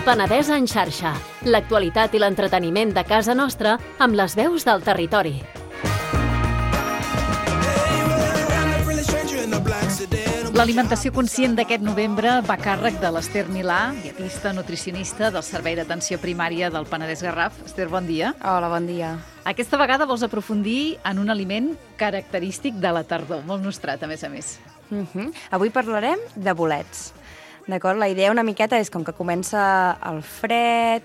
Penedès en xarxa. L'actualitat i l'entreteniment de casa nostra amb les veus del territori. L'alimentació conscient d'aquest novembre va a càrrec de l'Ester Milà, dietista nutricionista del Servei d'Atenció Primària del Penedès Garraf. Ester, bon dia. Hola, bon dia. Aquesta vegada vols aprofundir en un aliment característic de la tardor, molt nostrat, a més a més. Avui parlarem de bolets. D'acord? La idea una miqueta és com que comença el fred,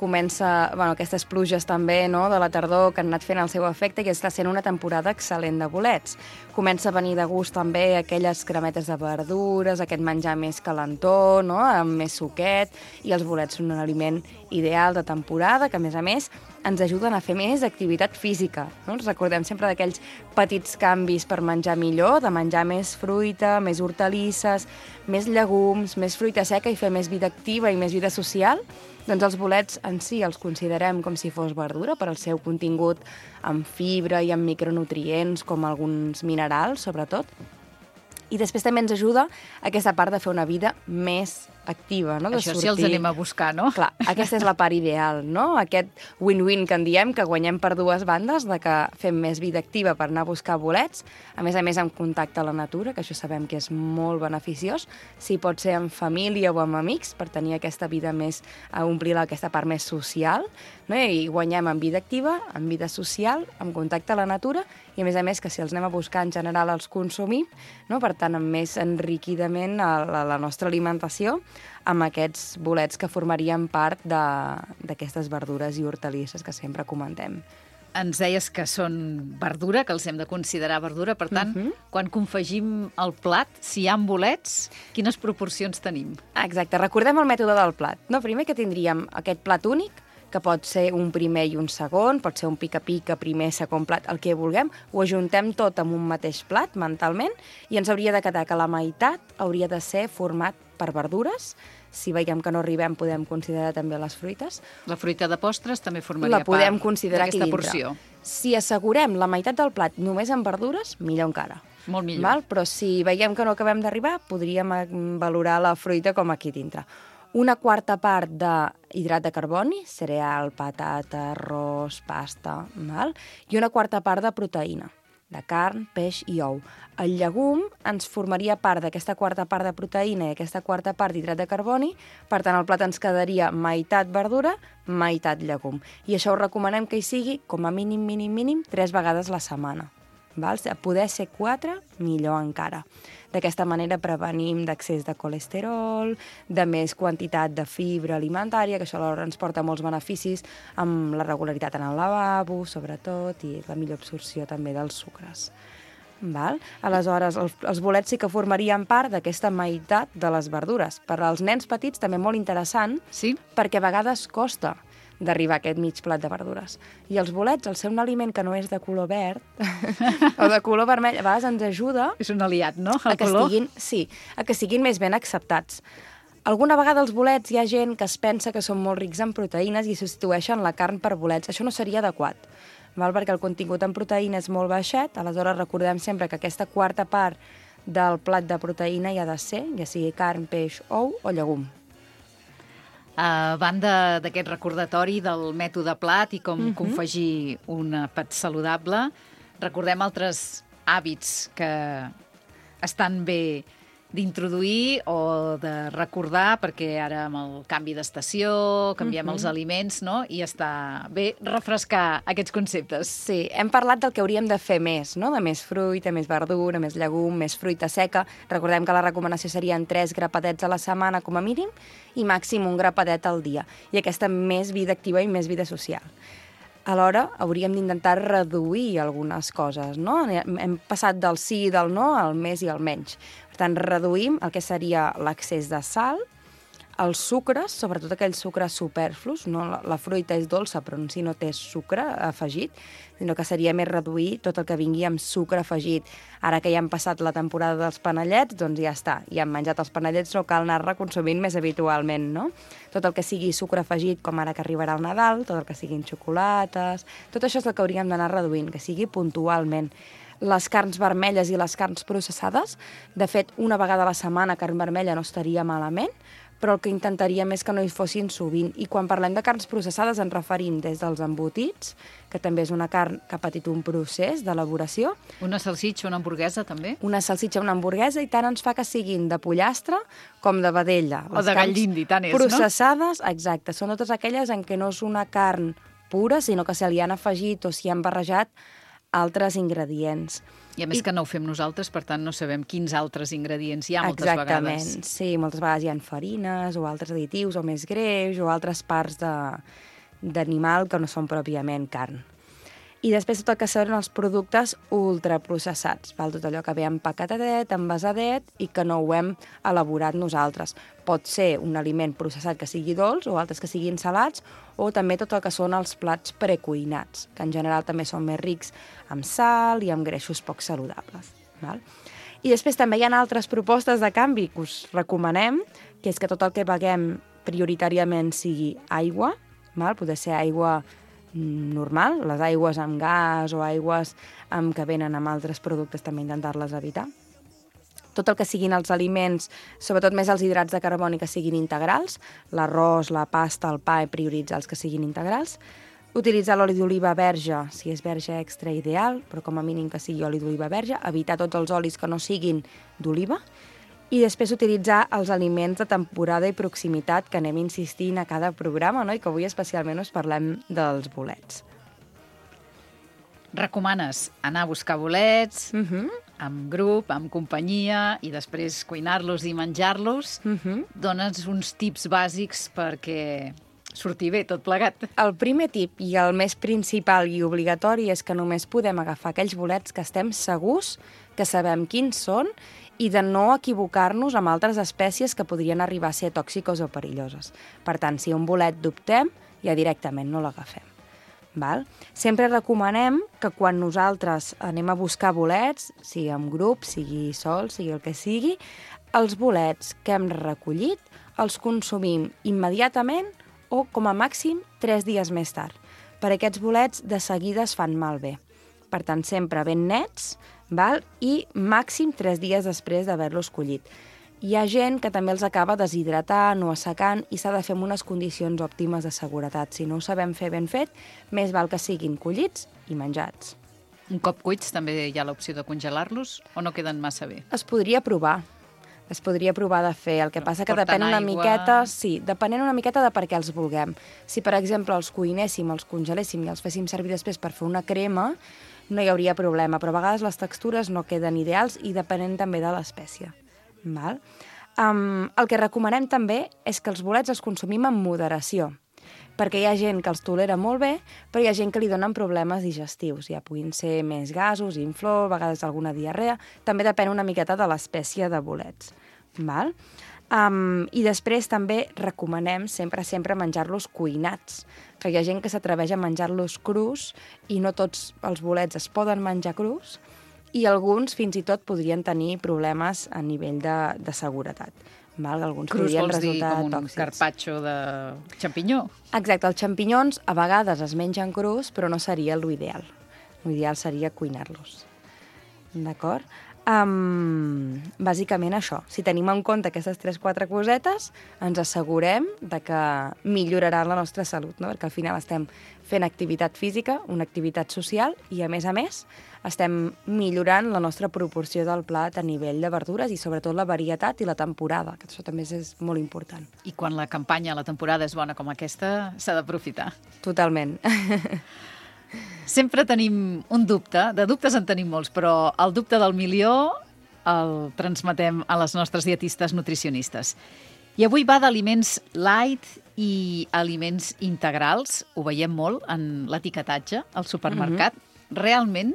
aquestes pluges també, no?, de la tardor que han anat fent el seu efecte i està sent una temporada excel·lent de bolets. Comença a venir de gust també aquelles cremetes de verdures, aquest menjar més calentó, no?, amb més suquet, i els bolets són un aliment ideal de temporada que, a més, ens ajuden a fer més activitat física. No? Ens recordem sempre d'aquells petits canvis per menjar millor, de menjar més fruita, més hortalisses, més llegums, més fruita seca i fer més vida activa i més vida social. Doncs els bolets en si els considerem com si fos verdura per al seu contingut en fibra i en micronutrients, com alguns minerals, sobretot. I després també ens ajuda aquesta part de fer una vida més activa, no? De Això sortir. sí els anem a buscar, no? Clar, aquesta és la part ideal, no? Aquest win-win que en diem, que guanyem per dues bandes, de que fem més vida activa per anar a buscar bolets, a més amb contacte a la natura, que això sabem que és molt beneficiós, si pot ser en família o amb amics, per tenir aquesta vida més, a omplir aquesta part més social, no? I guanyem en vida activa, en vida social, amb contacte a la natura, i a més que si els anem a buscar en general els consumim, no? Per tant, amb més enriquidament a la nostra alimentació, amb aquests bolets que formarien part d'aquestes verdures i hortalisses que sempre comentem. Ens deies que són verdura, que els hem de considerar verdura. Per tant, quan confegim el plat, si hi ha bolets, quines proporcions tenim? Exacte, recordem el mètode del plat. No? Primer que tindríem aquest plat únic, que pot ser un primer i un segon, pot ser un pica-pica, primer, segon plat, el que vulguem, ho ajuntem tot en un mateix plat, mentalment, i ens hauria de quedar que la meitat hauria de ser format per verdures. Si veiem que no arribem, podem considerar també les fruites. La fruita de postres també formaria la podem part considerar d'aquesta aquí porció. Si assegurem la meitat del plat només amb verdures, millor encara. Molt millor. Val? Però si veiem que no acabem d'arribar, podríem valorar la fruita com aquí dintre. Una quarta part d'hidrat de carboni, cereal, patata, arròs, pasta, val? I una quarta part de proteïna, de carn, peix i ou. El llegum ens formaria part d'aquesta quarta part de proteïna i aquesta quarta part d'hidrat de carboni, per tant el plat ens quedaria meitat verdura, meitat llegum. I això ho recomanem que hi sigui com a mínim 3 vegades la setmana. Val? A poder ser 4, millor encara. D'aquesta manera prevenim d'accés de colesterol, de més quantitat de fibra alimentària, que això alhora ens porta molts beneficis amb la regularitat en el lavabo, sobretot, i la millor absorció també dels sucres. Val? Aleshores, els bolets sí que formarien part d'aquesta meitat de les verdures. Per als nens petits també molt interessant, Sí? perquè a vegades costa d'arribar a aquest mig plat de verdures. I els bolets, al ser un aliment que no és de color verd o de color vermell, a vegades ens ajuda És un aliat, no? a que siguin més ben acceptats. Alguna vegada els bolets hi ha gent que es pensa que són molt rics en proteïnes i substitueixen la carn per bolets. Això no seria adequat, val? Perquè el contingut en proteïna és molt baixet, aleshores recordem sempre que aquesta quarta part del plat de proteïna hi ha de ser, ja sigui carn, peix, ou o llegum. A banda d'aquest recordatori del mètode plat i com confegir un àpat saludable, recordem altres hàbits que estan bé d'introduir o de recordar, perquè ara amb el canvi d'estació canviem els aliments, no? I està bé refrescar aquests conceptes. Sí, hem parlat del que hauríem de fer més, no? De més fruita, més verdura, més llegum, més fruita seca. Recordem que la recomanació serien 3 grapatets a la setmana com a mínim i màxim un grapadet al dia. I aquesta més vida activa i més vida social. Alhora, hauríem d'intentar reduir algunes coses, no? Hem passat del sí i del no al més i al menys. Per tant, reduïm el que seria l'accés de sal, els sucres, sobretot aquells sucres superflus, no? La fruita és dolça, però en si no té sucre afegit, sinó que seria més reduir tot el que vingui amb sucre afegit. Ara que ja hem passat la temporada dels panellets, doncs ja està. Ja hem menjat els panellets, no cal anar-ne consumint més habitualment, no? Tot el que sigui sucre afegit, com ara que arribarà el Nadal, tot el que siguin xocolates, tot això és el que hauríem d'anar reduint, que sigui puntualment. Les carns vermelles i les carns processades, de fet, una vegada a la setmana carn vermella no estaria malament, però el que intentaríem és que no hi fossin sovint. I quan parlem de carns processades ens referim des dels embotits, que també és una carn que ha patit un procés d'elaboració. Una salsitxa, una hamburguesa, també? Una salsitxa, una hamburguesa, i tant ens fa que siguin de pollastre com de vedella. O de gall d'indi, tant és, processades, no? Exacte, són totes aquelles en què no és una carn pura, sinó que se li han afegit o s'hi han barrejat altres ingredients. I a més que no ho fem nosaltres, per tant no sabem quins altres ingredients hi ha moltes vegades. Exactament, sí, moltes vegades hi ha farines o altres additius o més greix o altres parts d'animal que no són pròpiament carn. I després tot el que són els productes ultraprocessats, val? Tot allò que ve empaquetadet, envasadet i que no ho hem elaborat nosaltres. Pot ser un aliment processat que sigui dolç o altres que siguin salats, o també tot el que són els plats precuinats, que en general també són més rics amb sal i amb greixos poc saludables. Val? I després també hi ha altres propostes de canvi que us recomanem, que és que tot el que beguem prioritàriament sigui aigua, val? Poder ser aigua normal, les aigües amb gas o aigües que venen amb altres productes també intentar-les evitar. Tot el que siguin els aliments, sobretot més els hidrats de carboni que siguin integrals, l'arròs, la pasta, el pa, prioritzar els que siguin integrals. Utilitzar l'oli d'oliva verge, si és verge extra ideal, però com a mínim que sigui oli d'oliva verge, evitar tots els olis que no siguin d'oliva, i després utilitzar els aliments de temporada i proximitat que anem insistint a cada programa, no? I que avui especialment us parlem dels bolets. Recomanes anar a buscar bolets, amb grup, amb companyia, i després cuinar-los i menjar-los. Dones uns tips bàsics perquè sortir bé tot plegat. El primer tip i el més principal i obligatori és que només podem agafar aquells bolets que estem segurs que sabem quins són i de no equivocar-nos amb altres espècies que podrien arribar a ser tòxiques o perilloses. Per tant, si un bolet dubtem, ja directament no l'agafem. Val? Sempre recomanem que quan nosaltres anem a buscar bolets, sigui en grup, sigui sol, sigui el que sigui, els bolets que hem recollit els consumim immediatament o, com a màxim, 3 dies més tard. Per aquests bolets de seguida es fan malbé. Per tant, sempre ben nets, val? I màxim 3 dies després d'haver-los collit. Hi ha gent que també els acaba deshidratant o assecant i s'ha de fer en unes condicions òptimes de seguretat. Si no ho sabem fer ben fet, més val que siguin collits i menjats. Un cop cuits també hi ha l'opció de congelar-los o no queden massa bé? Es podria provar. Es podria provar de fer. El que passa que depèn una miqueta... Sí, depenent una miqueta de per què els vulguem. Si, per exemple, els cuinéssim, els congeléssim i els féssim servir després per fer una crema, no hi hauria problema, però a vegades les textures no queden ideals i depenent també de l'espècie. Val? El que recomanem també és que els bolets els consumim amb moderació, perquè hi ha gent que els tolera molt bé, però hi ha gent que li donen problemes digestius. Ja puguin ser més gasos, inflor, a vegades alguna diarrea. També depèn una miqueta de l'espècie de bolets. Val? I després també recomanem sempre menjar-los cuinats, que hi ha gent que s'atreveix a menjar-los crus i no tots els bolets es poden menjar crus i alguns fins i tot podrien tenir problemes a nivell de seguretat. Val? Alguns crus vols dir com un tòxics. carpaccio de xampinyó? Exacte, els xampinyons a vegades es mengen crus, però no seria l'ideal. L'ideal seria cuinar-los. D'acord? Bàsicament això. Si tenim en compte aquestes 3-4 cosetes, ens assegurem de que millorarà la nostra salut, no? Perquè al final estem fent activitat física, una activitat social, i a més, estem millorant la nostra proporció del plat a nivell de verdures i sobretot la varietat i la temporada, que això també és molt important. I quan la campanya, la temporada és bona com aquesta, s'ha d'aprofitar. Totalment. Sempre tenim un dubte, de dubtes en tenim molts, però el dubte del milió el transmetem a les nostres dietistes nutricionistes. I avui va d'aliments light i aliments integrals, ho veiem molt en l'etiquetatge al supermercat. Realment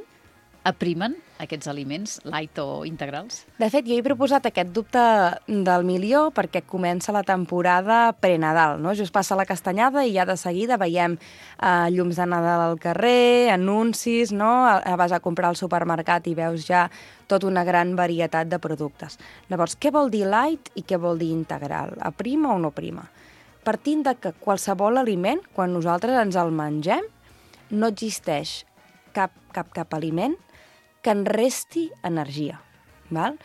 aprimen aquests aliments light o integrals? De fet, jo he proposat aquest dubte del milió perquè comença la temporada pre-Nadal, no? Just passa la castanyada i ja de seguida veiem llums de Nadal al carrer, anuncis, no? Vas a comprar al supermercat i veus ja tota una gran varietat de productes. Llavors, què vol dir light i què vol dir integral? Aprima o no prima? Partint de que qualsevol aliment, quan nosaltres ens el mengem, no existeix cap aliment que en resti energia. Val?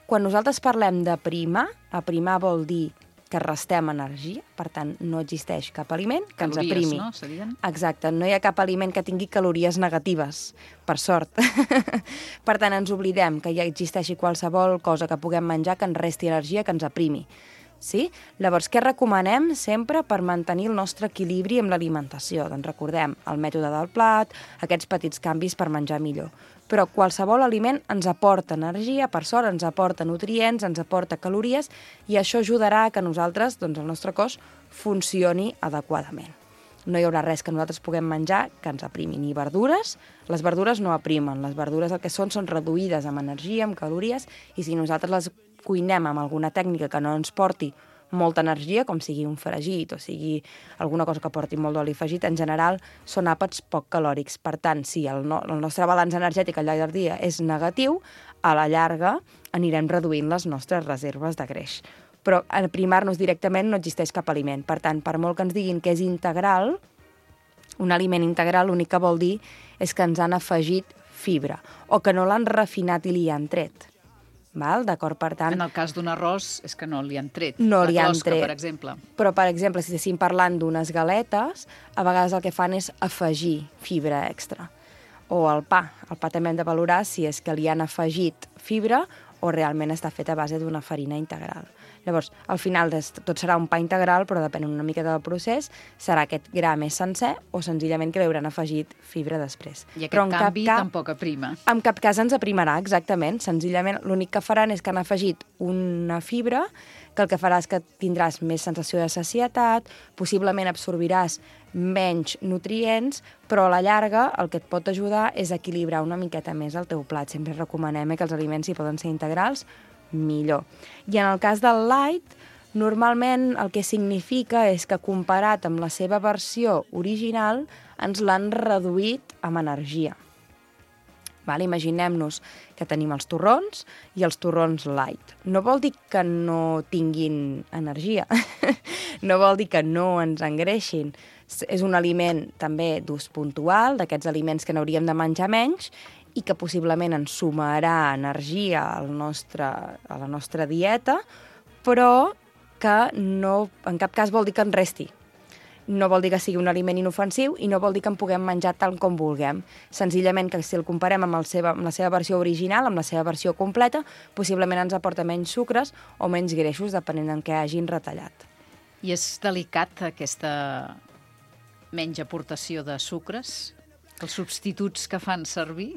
Quan nosaltres parlem d'aprimar, aprimar vol dir que restem energia, per tant, no existeix cap aliment que ens aprimi. Calories, no? Serien? Exacte, no hi ha cap aliment que tingui calories negatives, per sort. Per tant, ens oblidem que ja existeixi qualsevol cosa que puguem menjar que ens resti energia, que ens aprimi. Sí? Llavors, què recomanem sempre per mantenir el nostre equilibri amb l'alimentació? Doncs recordem el mètode del plat, aquests petits canvis per menjar millor. Però qualsevol aliment ens aporta energia, per sort ens aporta nutrients, ens aporta calories, i això ajudarà a que nosaltres, doncs el nostre cos, funcioni adequadament. No hi haurà res que nosaltres puguem menjar que ens aprimi, ni verdures. Les verdures no aprimen, les verdures el que són reduïdes amb energia, amb calories, i si nosaltres les cuinem amb alguna tècnica que no ens porti molta energia, com sigui un fregit o sigui alguna cosa que porti molt d'oli afegit, en general són àpats poc calòrics. Per tant, si el nostre balanç energètic al llarg del dia és negatiu, a la llarga anirem reduint les nostres reserves de greix. Però aprimar-nos directament no existeix cap aliment. Per tant, per molt que ens diguin que és integral, un aliment integral l'únic que vol dir és que ens han afegit fibra o que no l'han refinat i li han tret. D'acord? Per tant, en el cas d'un arròs és que no li han tret. No li han closca, tret. per exemple. Però, per exemple, si estéssim parlant d'unes galetes, a vegades el que fan és afegir fibra extra. O el pa. El pa també hem de valorar si és que li han afegit fibra o realment està fet a base d'una farina integral. Llavors, al final tot serà un pa integral, però depèn una mica del procés, serà aquest gra més sencer o senzillament que li hauran afegit fibra després. I aquest canvi tampoc aprima. En cap cas ens aprimarà, exactament. Senzillament l'únic que faran és que han afegit una fibra que el que farà és que tindràs més sensació de sacietat, possiblement absorbiràs menys nutrients, però a la llarga el que et pot ajudar és equilibrar una miqueta més el teu plat. Sempre recomanem que els aliments, si poden ser integrals, millor. I en el cas del light, normalment el que significa és que comparat amb la seva versió original ens l'han reduït amb energia. Imaginem-nos que tenim els torrons i els torrons light. No vol dir que no tinguin energia, no vol dir que no ens engreixin. És un aliment també d'ús puntual, d'aquests aliments que n'hauríem de menjar menys i que possiblement ens sumarà energia a la nostra dieta, però que no, en cap cas vol dir que en resti. No vol dir que sigui un aliment inofensiu i no vol dir que en puguem menjar tal com vulguem. Senzillament que si el comparem amb la seva versió original, amb la seva versió completa, possiblement ens aporta menys sucres o menys greixos, depenent en què hagin retallat. I és delicat aquesta menys aportació de sucres? Els substituts que fan servir?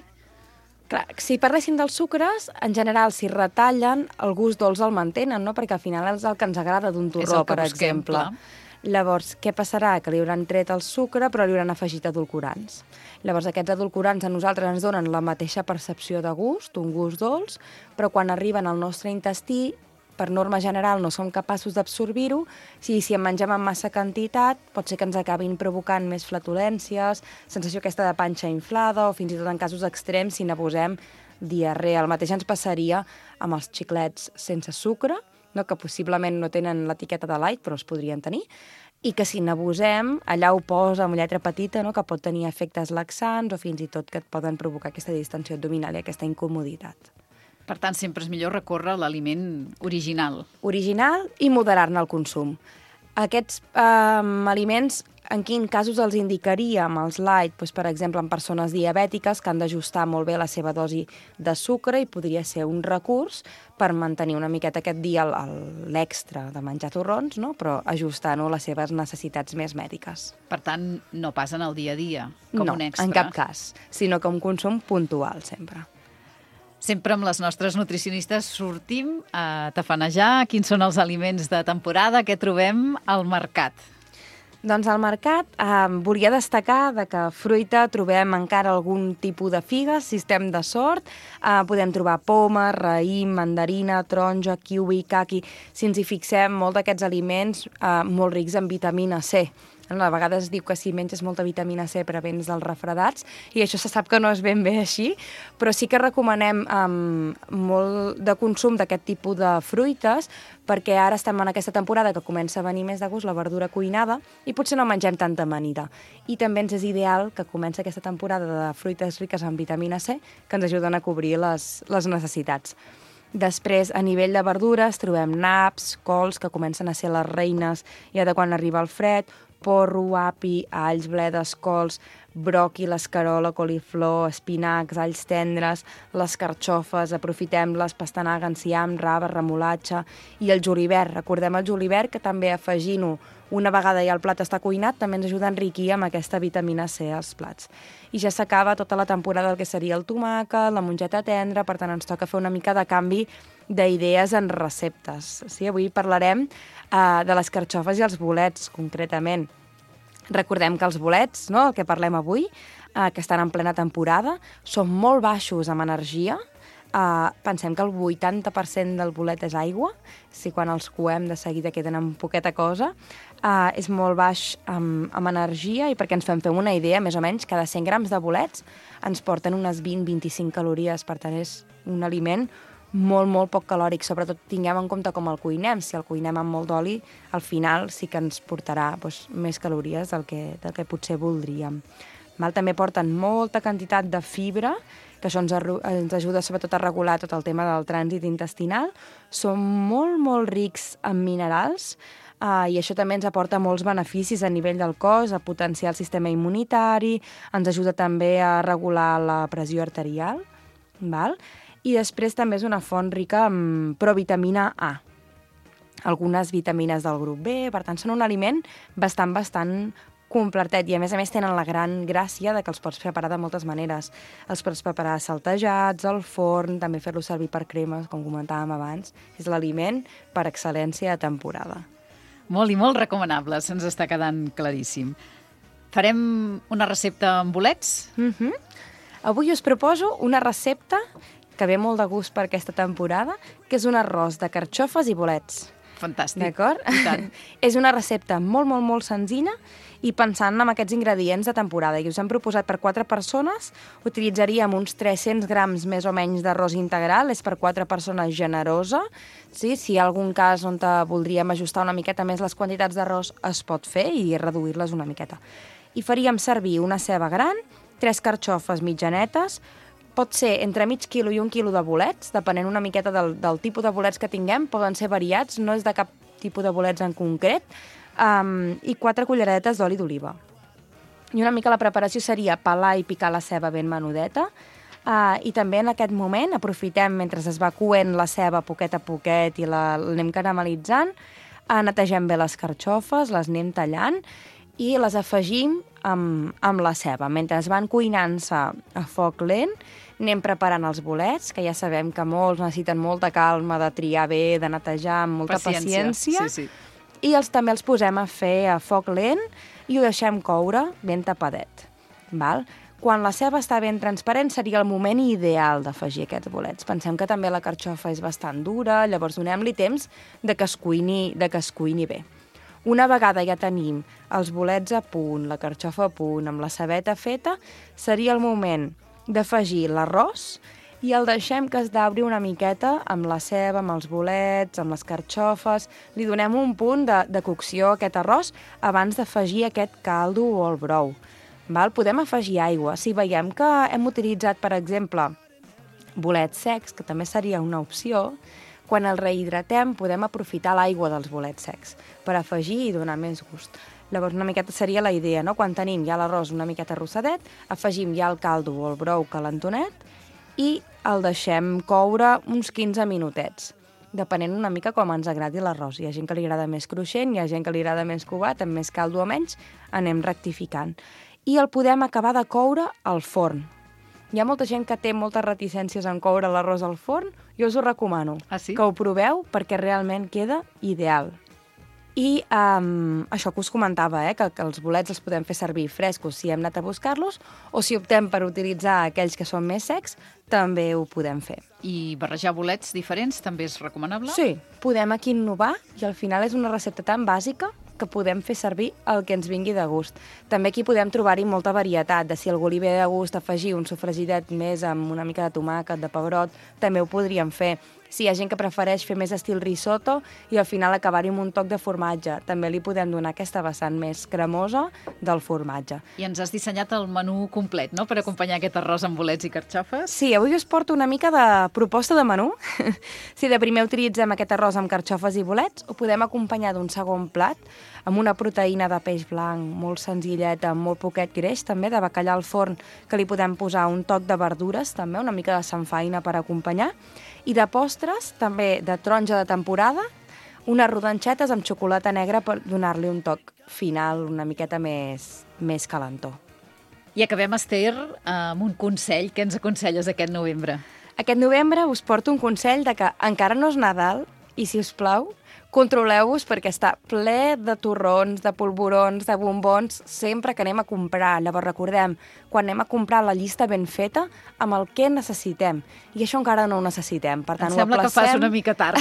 Clar, si parléssim dels sucres, en general, si retallen, el gust dolç el mantenen, no? Perquè al final és el que ens agrada d'un torró, per exemple. Llavors, què passarà? Que li hauran tret el sucre, però li hauran afegit edulcorants. Llavors, aquests edulcorants a nosaltres ens donen la mateixa percepció de gust, un gust dolç, però quan arriben al nostre intestí, per norma general no som capaços d'absorbir-ho. Si en mengem en massa quantitat, pot ser que ens acabin provocant més flatulències, sensació aquesta de panxa inflada, o fins i tot en casos extrems, si n'abusem, diarrea. El mateix ens passaria amb els xiclets sense sucre, no? Que possiblement no tenen l'etiqueta de light, però els podrien tenir, i que si n'abusem, allà ho posa amb lletra petita, no? Que pot tenir efectes laxants o fins i tot que et poden provocar aquesta distensió abdominal i aquesta incomoditat. Per tant, sempre és millor recórrer a l'aliment original. Original i moderar-ne el consum. Aquests aliments, en quins casos els indicaríem els light? Doncs, per exemple, en persones diabètiques que han d'ajustar molt bé la seva dosi de sucre i podria ser un recurs per mantenir una miqueta aquest dia l'extra de menjar torrons, no? Però ajustant-ho a les seves necessitats més mèdiques. Per tant, no passen el dia a dia com un extra. No, en cap cas, sinó que un consum puntual sempre. Sempre amb les nostres nutricionistes sortim a tafanejar quins són els aliments de temporada que trobem al mercat. Doncs al mercat volia destacar que fruita trobem encara algun tipus de figues, si estem de sort. Podem trobar poma, raïm, mandarina, taronja, kiwi, caqui. Si ens hi fixem, molt d'aquests aliments molt rics en vitamina C. A vegades es diu que si menges molta vitamina C prevens dels refredats, i això se sap que no és ben bé així, però sí que recomanem molt de consum d'aquest tipus de fruites, perquè ara estem en aquesta temporada que comença a venir més de gust la verdura cuinada i potser no mengem tanta amanida. I també ens és ideal que comença aquesta temporada de fruites riques en vitamina C que ens ajuden a cobrir les necessitats. Després, a nivell de verdures, trobem naps, cols, que comencen a ser les reines ja de quan arriba el fred, porro, api, alls, bledes, cols, broqui, l'escarola, coliflor, espinacs, alls tendres, les carxofes, aprofitem les pastanaga, enciam, raba, remolatge i el julivert. Recordem el julivert, que també afegint-ho una vegada ja el plat està cuinat també ens ajuda a enriquir amb aquesta vitamina C als plats. I ja s'acaba tota la temporada del que seria el tomàquet, la mongeta tendra, per tant ens toca fer una mica de canvi d'idees en receptes. Sí, avui parlarem de les carxofes i els bolets, concretament. Recordem que els bolets, no, el que parlem avui, que estan en plena temporada, són molt baixos amb energia. Pensem que el 80% del bolet és aigua, si quan els coem de seguida queden amb poqueta cosa. És molt baix amb energia i perquè ens fem una idea, més o menys, cada 100 grams de bolets ens porten unes 20-25 calories, per tant és un aliment molt, molt poc calòric, sobretot tinguem en compte com el cuinem. Si el cuinem amb molt d'oli, al final sí que ens portarà més calories del que potser voldríem. També porten molta quantitat de fibra, que això ens ajuda sobretot a regular tot el tema del trànsit intestinal. Són molt, molt rics en minerals i això també ens aporta molts beneficis a nivell del cos, a potenciar el sistema immunitari, ens ajuda també a regular la pressió arterial, i després també és una font rica en provitamina A, algunes vitamines del grup B, per tant són un aliment bastant completet i a més tenen la gran gràcia de que els pots preparar de moltes maneres. Els pots preparar saltejats, al forn, també fer-los servir per cremes, com comentàvem abans. És l'aliment per excel·lència de temporada. Molt i molt recomanable, se'ns està quedant claríssim. Farem una recepta amb bolets? Avui us proposo una recepta que ve molt de gust per aquesta temporada, que és un arròs de carxofes i bolets. Fantàstic. D'acord? I tant. És una recepta molt, molt, molt senzilla i pensant en aquests ingredients de temporada. I us hem proposat per 4 persones, utilitzaríem uns 300 grams més o menys d'arròs integral, és per 4 persones generosa. Sí? Si hi ha algun cas on voldríem ajustar una miqueta més les quantitats d'arròs, es pot fer i reduir-les una miqueta. I faríem servir una ceba gran, 3 carxofes mitjanetes, pot ser entre mig quilo i 1 quilo de bolets, depenent una miqueta del tipus de bolets que tinguem, poden ser variats, no és de cap tipus de bolets en concret, i 4 culleretes d'oli d'oliva. I una mica la preparació seria pelar i picar la ceba ben menudeta, i també en aquest moment aprofitem, mentre es va coent la ceba poquet a poquet i l'anem caramelitzant, netegem bé les carxofes, les anem tallant i les afegim amb la ceba. Mentre es van cuinant-se a foc lent, anem preparant els bolets, que ja sabem que molts necessiten molta calma, de triar bé, de netejar amb molta paciència. Sí. I també els posem a fer a foc lent i ho deixem coure ben tapadet. Quan la ceba està ben transparent seria el moment ideal d'afegir aquests bolets. Pensem que també la carxofa és bastant dura, llavors donem-li temps de que es cuini bé. Una vegada ja tenim els bolets a punt, la carxofa a punt, amb la cebeta feta, seria el moment d'afegir l'arròs i el deixem que es dauri una miqueta amb la ceba, amb els bolets, amb les carxofes. Li donem un punt de cocció a aquest arròs abans d'afegir aquest caldo o el brou. Podem afegir aigua. Si veiem que hem utilitzat, per exemple, bolets secs, que també seria una opció, quan el rehidratem podem aprofitar l'aigua dels bolets secs per afegir i donar més gust. Llavors una miqueta seria la idea, no? Quan tenim ja l'arròs una miqueta rossadet, afegim ja el caldo o el brou calentonet i el deixem coure uns 15 minutets, depenent una mica com ens agradi l'arròs. Hi ha gent que li agrada més cruixent, hi ha gent que li agrada més covat, amb més caldo o menys, anem rectificant. I el podem acabar de coure al forn. Hi ha molta gent que té moltes reticències en coure l'arròs al forn, jo us ho recomano. Sí? Que ho proveu perquè realment queda ideal. I això que us comentava, que els bolets els podem fer servir frescos si hem anat a buscar-los, o si optem per utilitzar aquells que són més secs, també ho podem fer. I barrejar bolets diferents també és recomanable? Sí, podem aquí innovar i al final és una recepta tan bàsica que podem fer servir el que ens vingui de gust. També aquí podem trobar-hi molta varietat, de si algú li ve de gust afegir un sofregidet més amb una mica de tomàquet, de pebrot, també ho podríem fer. Si hi ha gent que prefereix fer més estil risotto i al final acabar-hi amb un toc de formatge. També li podem donar aquesta vessant més cremosa del formatge. I ens has dissenyat el menú complet, no?, per acompanyar aquest arròs amb bolets i carxofes. Sí, avui us porto una mica de proposta de menú. Si de primer utilitzem aquest arròs amb carxofes i bolets, ho podem acompanyar d'un segon plat amb una proteïna de peix blanc molt senzilleta, amb molt poquet greix, també de bacallà al forn, que li podem posar un toc de verdures, també una mica de samfaina per acompanyar, i de postres, també de taronja de temporada, unes rodanxetes amb xocolata negra per donar-li un toc final una miqueta més calentó. I acabem, Esther, amb un consell. Què ens aconselles aquest novembre? Aquest novembre us porto un consell de que encara no és Nadal i, si us plau, controleu-vos perquè està ple de torrons, de polvorons, de bombons, sempre que anem a comprar. Llavors recordem, quan anem a comprar la llista ben feta, amb el que necessitem. I això encara no ho necessitem. Per tant, em sembla que fas una mica tard,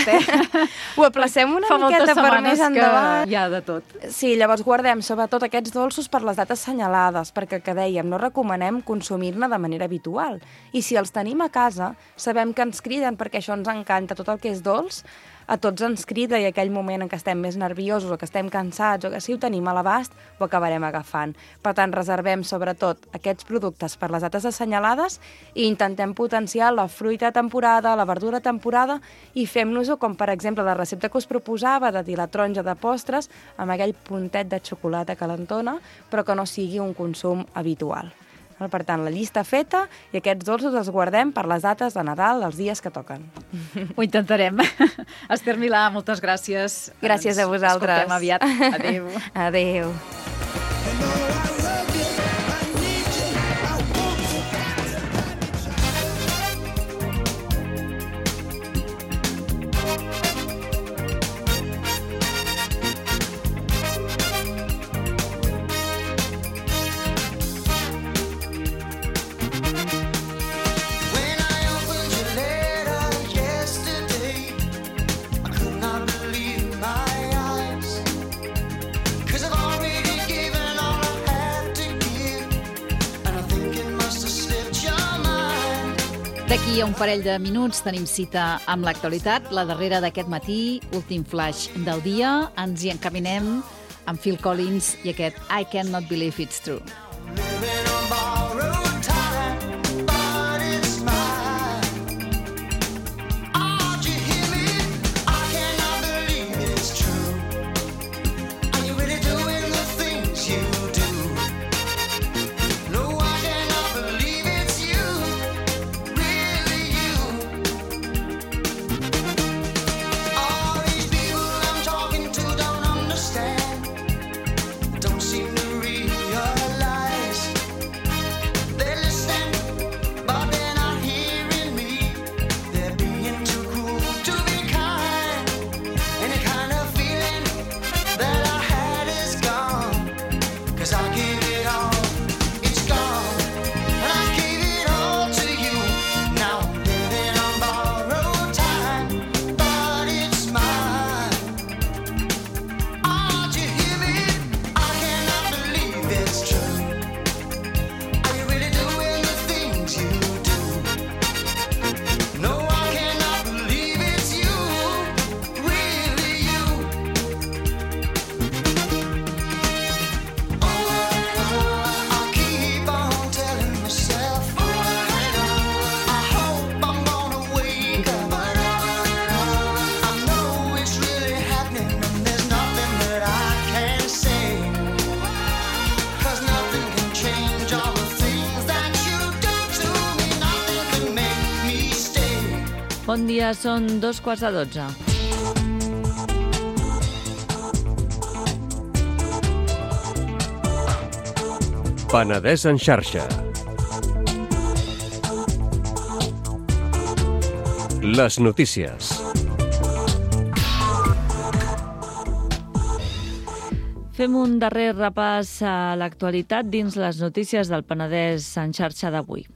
Ho aplacem una miqueta per més endavant. Hi ha de tot. Sí, llavors guardem sobretot aquests dolços per les dates assenyalades, perquè, que dèiem, no recomanem consumir-ne de manera habitual. I si els tenim a casa, sabem que ens criden, perquè això ens encanta, tot el que és dolç, a tots ens crida, i aquell moment en què estem més nerviosos o que estem cansats o que si ho tenim a l'abast, ho acabarem agafant. Per tant, reservem sobretot aquests productes per les dates assenyalades i intentem potenciar la fruita de temporada, la verdura de temporada, i fem-nos-ho com, per exemple, la recepta que us proposava de dir la taronja de postres amb aquell puntet de xocolata calentona, però que no sigui un consum habitual. Per tant, la llista feta i aquests dolços els guardem per les dates de Nadal, els dies que toquen. Ho intentarem. Esther Milà, moltes gràcies. Gràcies a vosaltres. Escoltem aviat. Adéu. Adéu. D'aquí a un parell de minuts tenim cita amb l'actualitat, la darrera d'aquest matí, últim flash del dia. Ens hi encaminem amb Phil Collins i aquest I Cannot Believe It's True. Bon dia, són 2:15. Penedès en xarxa. Les notícies. Fem un darrer repàs a l'actualitat dins les notícies del Penedès en xarxa d'avui.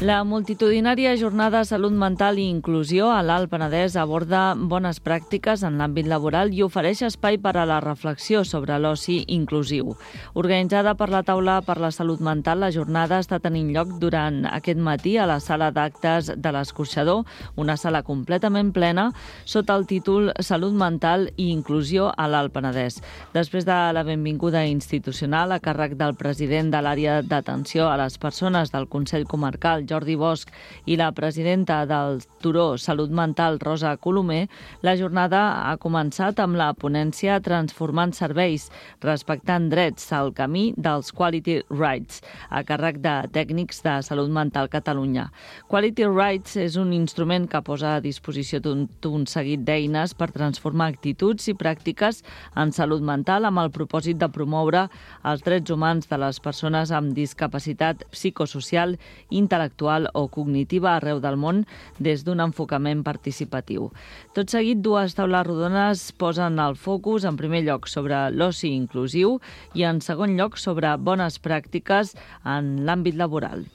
La multitudinària jornada Salut Mental i Inclusió a l'Alt Penedès aborda bones pràctiques en l'àmbit laboral i ofereix espai per a la reflexió sobre l'oci inclusiu. Organitzada per la Taula per la Salut Mental, la jornada està tenint lloc durant aquest matí a la sala d'actes de l'Escorxador, una sala completament plena, sota el títol Salut Mental i Inclusió a l'Alt Penedès. Després de la benvinguda institucional a càrrec del president de l'àrea d'atenció a les persones del Consell Comarcal, Jordi Bosch, i la presidenta del Turó Salut Mental, Rosa Colomer, la jornada ha començat amb la ponència Transformant serveis, respectant drets al camí dels Quality Rights, a càrrec de tècnics de Salut Mental Catalunya. Quality Rights és un instrument que posa a disposició d'un seguit d'eines per transformar actituds i pràctiques en salut mental amb el propòsit de promoure els drets humans de les persones amb discapacitat psicosocial, intel·lectual o cognitiva arreu del món des d'un enfocament participatiu. Tot seguit, dues taules rodones posen el focus en primer lloc sobre l'oci inclusiu i en segon lloc sobre bones pràctiques en l'àmbit laboral.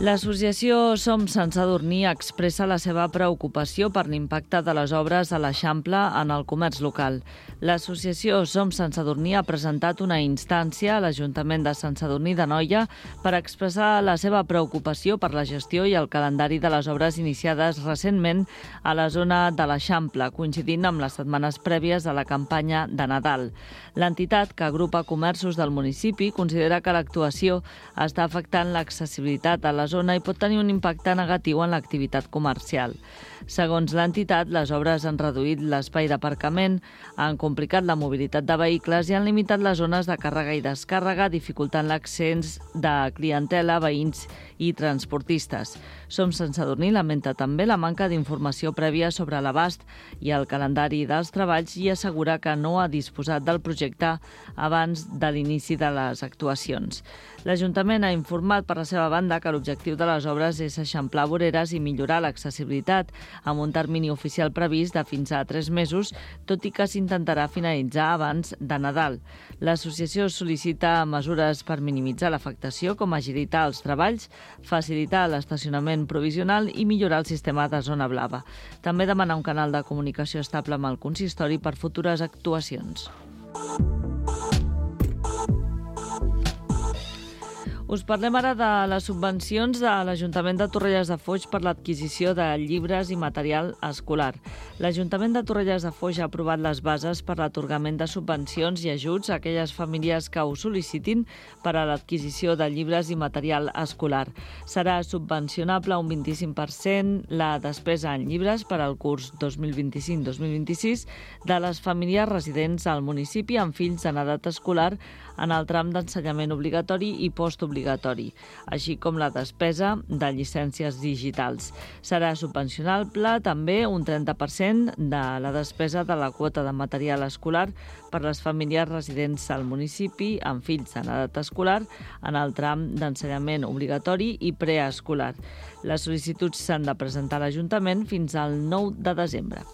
L'associació Som Sant Sadurní expressa la seva preocupació per l'impacte de les obres a l'Eixample en el comerç local. L'associació Som Sant Sadurní ha presentat una instància a l'Ajuntament de Sant Sadurní d'Anoia per expressar la seva preocupació per la gestió i el calendari de les obres iniciades recentment a la zona de l'Eixample, coincidint amb les setmanes prèvies a la campanya de Nadal. L'entitat, que agrupa comerços del municipi, considera que l'actuació està afectant l'accessibilitat a la zona i pot tenir un impacte negatiu en l'activitat comercial. Segons l'entitat, les obres han reduït l'espai d'aparcament, han complicat la mobilitat de vehicles i han limitat les zones de càrrega i descàrrega, dificultant l'accés de clientela, veïns i transportistes. Som Sant Sadurní lamenta també la manca d'informació prèvia sobre l'abast i el calendari dels treballs i assegura que no ha disposat del projecte abans de l'inici de les actuacions. L'Ajuntament ha informat per la seva banda que l'objectiu de les obres és eixamplar voreres i millorar l'accessibilitat amb un termini oficial previst de fins a 3 mesos, tot i que s'intentarà finalitzar abans de Nadal. L'associació sol·licita mesures per minimitzar l'afectació, com agilitar els treballs, facilitar l'estacionament provisional i millorar el sistema de zona blava. També demana un canal de comunicació estable amb el consistori per futures actuacions. Us parlem ara de les subvencions de l'Ajuntament de Torrelles de Foix per l'adquisició de llibres i material escolar. L'Ajuntament de Torrelles de Foix ha aprovat les bases per l'atorgament de subvencions i ajuts a aquelles famílies que ho sol·licitin per a l'adquisició de llibres i material escolar. Serà subvencionable un 25% la despesa en llibres per al curs 2025-2026 de les famílies residents al municipi amb fills en edat escolar en el tram d'ensenyament obligatori i postobligatori, així com la despesa de llicències digitals. Serà subvencionable també un 30% de la despesa de la quota de material escolar per les famílies residents al municipi amb fills en edat escolar en el tram d'ensenyament obligatori i preescolar. Les sol·licituds s'han de presentar a l'Ajuntament fins al 9 de desembre.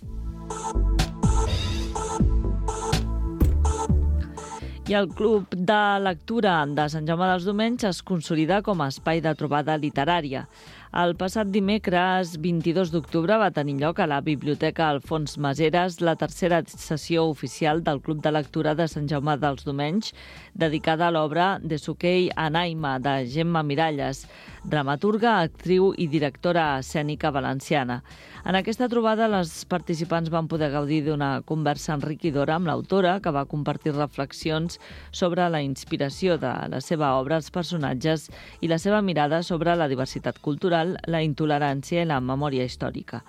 I el Club de Lectura de Sant Jaume dels Domenys es consolida com a espai de trobada literària. El passat dimecres 22 d'octubre va tenir lloc a la Biblioteca Alfons Maseres la tercera sessió oficial del Club de Lectura de Sant Jaume dels Domenys, dedicada a l'obra de Sukei Anaima, de Gemma Miralles, dramaturga, actriu i directora escènica valenciana. En aquesta trobada, les participants van poder gaudir d'una conversa enriquidora amb l'autora, que va compartir reflexions sobre la inspiració de la seva obra, els personatges i la seva mirada sobre la diversitat cultural, la intolerància i la memòria històrica.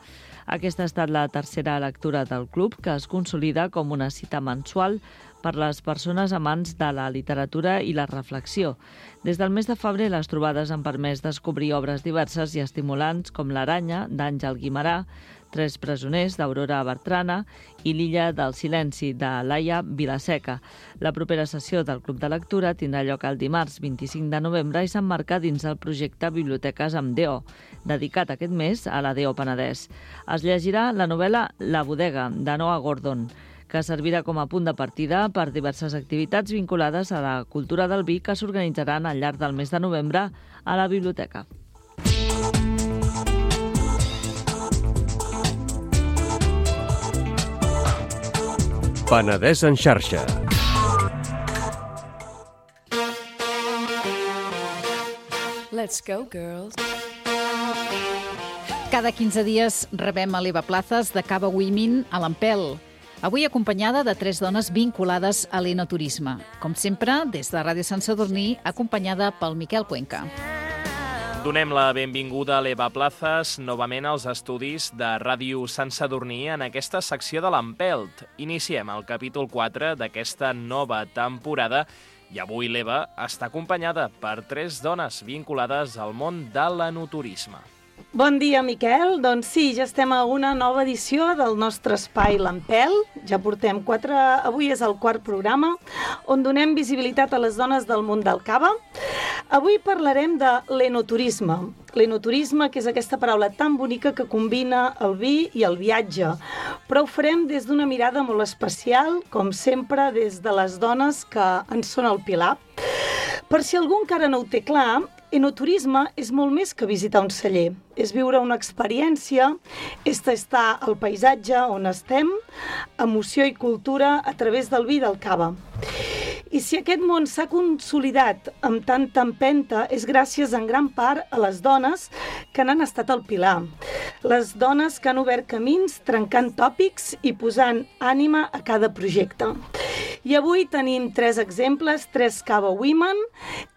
Aquesta ha estat la tercera lectura del club, que es consolida com una cita mensual per les persones amants de la literatura i la reflexió. Des del mes de febrer, les trobades han permès descobrir obres diverses i estimulants com L'Aranya, d'Àngel Guimerà, Tres presoners, d'Aurora Bertrana, i L'illa del silenci, de Laia Vilaseca. La propera sessió del Club de Lectura tindrà lloc el dimarts 25 de novembre i s'emmarca dins el projecte Biblioteques amb DO, dedicat aquest mes a la DO Penedès. Es llegirà la novel·la La bodega, de Noah Gordon, que servirà com a punt de partida per diverses activitats vinculades a la cultura del vi que s'organitzaran al llarg del mes de novembre a la biblioteca. Penedès en xarxa. Let's go, girls. Cada 15 dies rebem a l'Eva Plazas de Cava Women a l'Ampel. Avui acompanyada de 3 dones vinculades a l'enoturisme. Com sempre, des de Ràdio Sant Sadurní, acompanyada pel Miquel Cuenca. Donem la benvinguda a l'Eva Plazas novament als estudis de Ràdio Sant Sadurní en aquesta secció de l'Empelt. Iniciem el capítol 4 d'aquesta nova temporada i avui l'Eva està acompanyada per 3 dones vinculades al món de l'enoturisme. Bon dia, Miquel. Doncs sí, ja estem a una nova edició del nostre espai l'Empel. Ja portem 4, avui és el 4 programa, on donem visibilitat a les dones del món del cava. Avui parlarem de l'enoturisme. L'enoturisme, que és aquesta paraula tan bonica que combina el vi i el viatge. Però ho farem des d'una mirada molt especial, com sempre, des de les dones que en són el pilar. Per si algú encara no ho té clar, enoturisme és molt més que visitar un celler. És viure una experiència, és tastar el paisatge on estem, emoció i cultura a través del vi i del cava. I si aquest món s'ha consolidat amb tanta empenta és gràcies en gran part a les dones que n'han estat al pilar. Les dones que han obert camins trencant tòpics i posant ànima a cada projecte. I avui tenim 3 exemples, 3 Cava Women,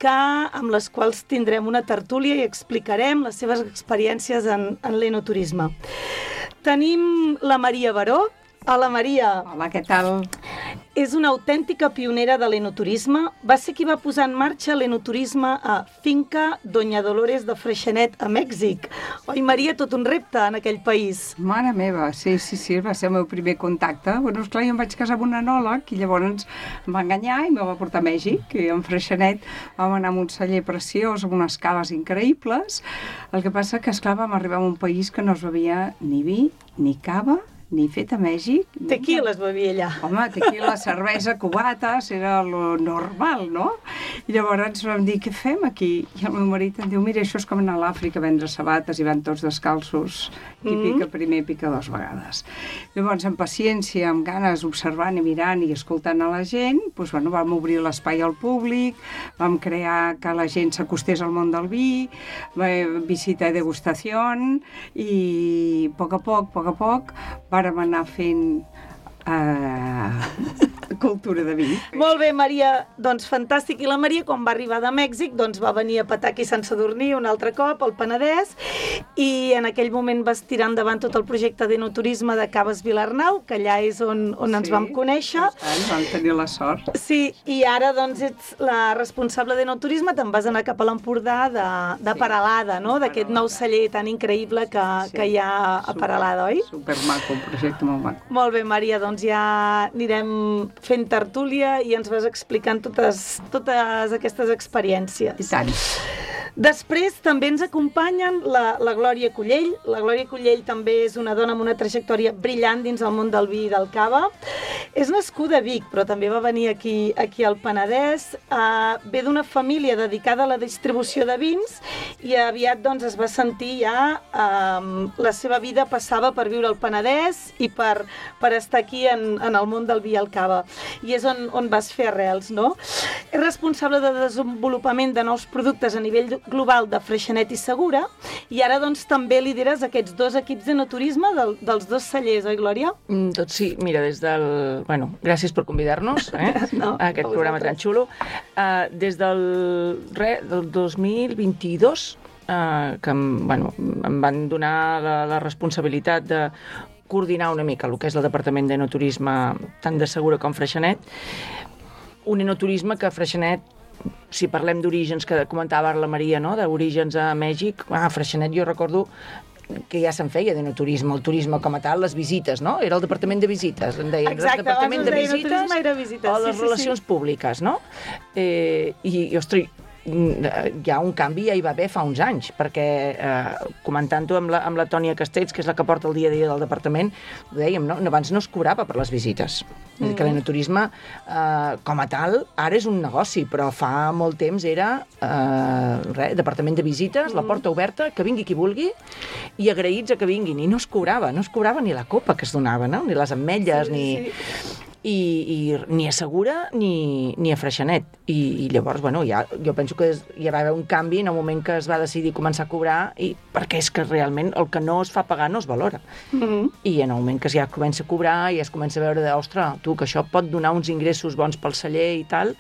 amb les quals tindrem una tertúlia i explicarem les seves experiències en l'enoturisme. Tenim la Maria Baró. Hola, Maria. Hola, què tal? És una autèntica pionera de l'enoturisme. Va ser qui va posar en marxa l'enoturisme a Finca Doña Dolores de Freixenet, a Mèxic. Oi, Maria, tot un repte en aquell país. Mare meva, sí, va ser el meu primer contacte. Bueno, esclar, jo em vaig casar amb un enòleg i llavors em va enganyar i me va portar a Mèxic. I en Freixenet vam anar a un celler preciós, amb unes caves increïbles. El que passa que, esclar, vam arribar a un país que no es bevia ni vi, ni cava, ni fet a Mèxic. Tequila es bevia allà. Home, tequila, cervesa, cubates, era lo normal, no? I llavors vam dir, què fem aquí? I el meu marit em diu, mira, això és com anar a l'Àfrica a vendre sabates i van tots descalços. Qui pica primer, pica 2 vegades. Llavors, amb paciència, amb ganes, observant i mirant i escoltant a la gent, doncs, bueno, vam obrir l'espai al públic, vam crear que la gent s'acostés al món del vi, visita i degustació, i a poc a poc, vàrem anar fent cultura de vi. Molt bé, Maria, doncs fantàstic. I la Maria, quan va arribar de Mèxic, doncs va venir a petar aquí a Sant Sadurní un altre cop, al Penedès, i en aquell moment vas tirar endavant tot el projecte d'enoturisme de Caves Vilarnau, que allà és on ens vam conèixer. Vam tenir la sort. Sí, i ara doncs ets la responsable d'enoturisme, te'n vas anar cap a l'Empordà de Peralada, no? D'aquest nou celler tan increïble que hi ha a Peralada, oi? Supermaco, un projecte molt maco. Molt bé, Maria, doncs ja anirem fent tertúlia i ens vas explicant totes aquestes experiències. I tant. Després també ens acompanyen la Glòria Collell. La Glòria Collell també és una dona amb una trajectòria brillant dins el món del vi i del cava. És nascuda a Vic, però també va venir aquí al Penedès. Ve d'una família dedicada a la distribució de vins i aviat doncs, es va sentir ja la seva vida passava per viure al Penedès i per estar aquí en el món del vi i el cava. I és on vas fer arrels, no? És responsable de desenvolupament de nous productes a nivell global de Freixenet i Segura, i ara doncs també lideres aquests 2 equips d'enoturisme dels 2 cellers, oi, Glòria? Doncs sí, mira, des del... Bueno, gràcies per convidar-nos a aquest programa tan xulo. Des del 2022, que em van donar la responsabilitat de coordinar una mica el que és el Departament d'Enoturisme tant de Segura com Freixenet, un enoturisme que Freixenet, si parlem d'orígens, que comentava ara la Maria, no? D'orígens a Mèxic, a Freixenet jo recordo que ja se'n feia d'enoturisme, el turisme com a tal, les visites, no? Era el departament de visites, en deien. Exacte, el departament de visites era visites, o les relacions públiques, no? I ostres, hi ha un canvi, ja hi va haver fa uns anys, perquè comentant-ho amb la Tònia Castells, que és la que porta el dia a dia del departament, ho dèiem, no? Abans no es cobrava per les visites. És a dir, que l'enoturisme, com a tal, ara és un negoci, però fa molt temps era departament de visites, la porta oberta, que vingui qui vulgui, i agraïts a que vinguin. I no es cobrava ni la copa que es donava, no? Ni les ametlles, i ni a Segura ni a Freixenet. I llavors, bueno, jo penso que hi va haver un canvi en el moment que es va decidir començar a cobrar, perquè és que realment el que no es fa pagar no es valora. I en el moment que ja comença a cobrar i es comença a veure ostres, tu, que això pot donar uns ingressos bons pel celler i tal,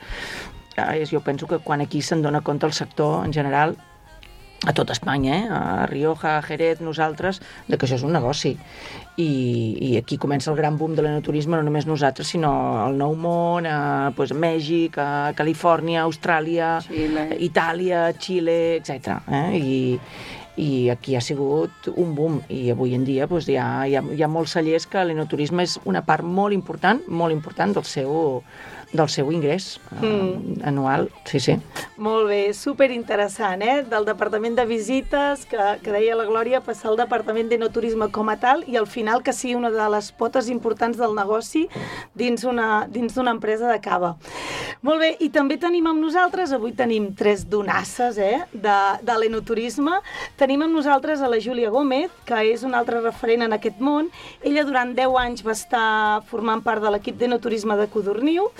jo penso que quan aquí se'n dona compte el sector en general, a tot Espanya, a Rioja, a Jerez, nosaltres, de que això és un negoci. I aquí comença el gran boom de l'enoturisme, no només nosaltres, sinó al Nou Món, a Mèxic, a Califòrnia, Austràlia, Xile. Itàlia, Xile, etc. I aquí ha sigut un boom, i avui en dia hi ha molts cellers que l'enoturisme és una part molt important del seu ingrés anual, sí. Molt bé, superinteressant, del Departament de Visites, que deia la Glòria, passar al Departament d'Enoturisme com a tal, i al final que sigui una de les potes importants del negoci dins una empresa de cava. Molt bé, i també tenim amb nosaltres, avui tenim 3 donasses de l'enoturisme. Tenim amb nosaltres a la Júlia Gómez, que és una altra referent en aquest món. Ella durant 10 anys va estar formant part de l'equip d'enoturisme de Codorniu,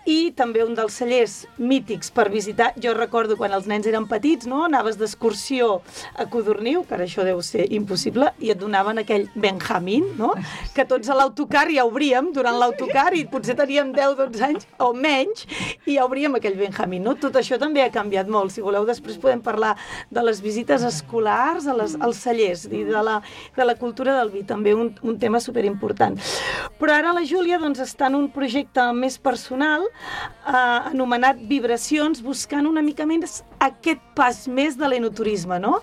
i també un dels cellers mítics per visitar. Jo recordo quan els nens eren petits, no? Anaves d'excursió a Codorniu, que ara això deu ser impossible, i et donaven aquell Benjamín, no? Que tots a l'autocar ja obríem durant l'autocar, i potser teníem 10-12 anys o menys, i ja obríem aquell Benjamín, no? Tot això també ha canviat molt. Si voleu, després podem parlar de les visites escolars als cellers i de la cultura del vi, també un tema superimportant. Però ara la Júlia està en un projecte més personal, anomenat Vibracions, buscant una mica més aquest pas més de l'enoturisme, no?